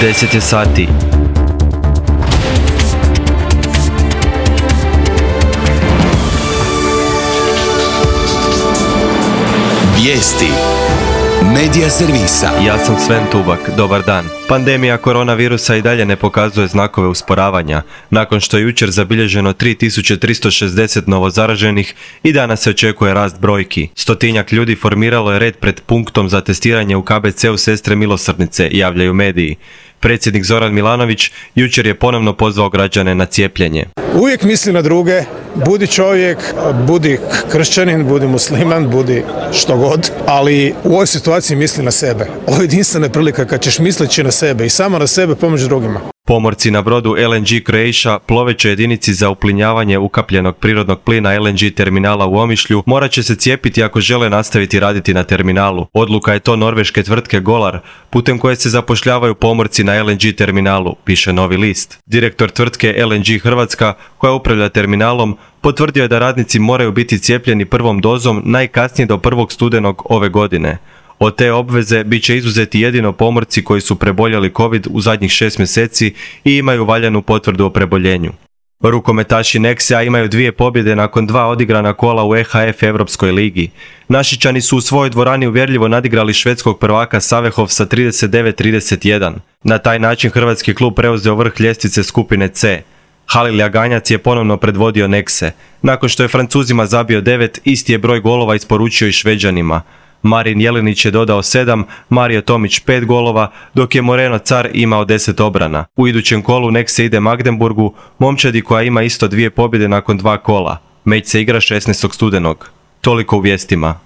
10 je sati. Vijesti Medija servisa. Ja sam Sven Tubak, dobar dan. Pandemija koronavirusa i dalje ne pokazuje znakove usporavanja. Nakon što je jučer zabilježeno 3360 novozaraženih i danas se očekuje rast brojki. Stotinjak ljudi formiralo je red pred punktom za testiranje u KBC-u Sestre Milosrdnice, javljaju mediji. Predsjednik Zoran Milanović jučer je ponovno pozvao građane na cijepljenje. Uvijek misli na druge, budi čovjek, budi kršćanin, budi musliman, budi što god, ali u ovoj situaciji misli na sebe. Ovo je jedinstvena prilika kad ćeš misleći na sebe i samo na sebe pomoći drugima. Pomorci na brodu LNG Croatia, plovećoj jedinici za uplinjavanje ukapljenog prirodnog plina LNG terminala u Omišlju, morat će se cijepiti ako žele nastaviti raditi na terminalu. Odluka je to norveške tvrtke Golar, putem koje se zapošljavaju pomorci na LNG terminalu, piše Novi list. Direktor tvrtke LNG Hrvatska, koja upravlja terminalom, potvrdio je da radnici moraju biti cijepljeni prvom dozom najkasnije do 1. studenog ove godine. Od te obveze bit će izuzeti jedino pomorci koji su preboljeli COVID u zadnjih 6 mjeseci i imaju valjanu potvrdu o preboljenju. Rukometaši Nexia imaju 2 pobjede nakon 2 odigrana kola u EHF Europskoj ligi. Našičani su u svojoj dvorani uvjerljivo nadigrali švedskog prvaka Savehov sa 39-31. Na taj način hrvatski klub preuzeo vrh ljestvice skupine C. Halil Jaganjac je ponovno predvodio Nexe. Nakon što je Francuzima zabio 9, isti je broj golova isporučio i Šveđanima. Marin Jelinić je dodao 7, Mario Tomić 5 golova, dok je Moreno Car imao 10 obrana. U idućem kolu Nexe ide Magdeburgu, momčadi koja ima isto 2 pobjede nakon 2 kola. Meč se igra 16. studenog. Toliko u vijestima.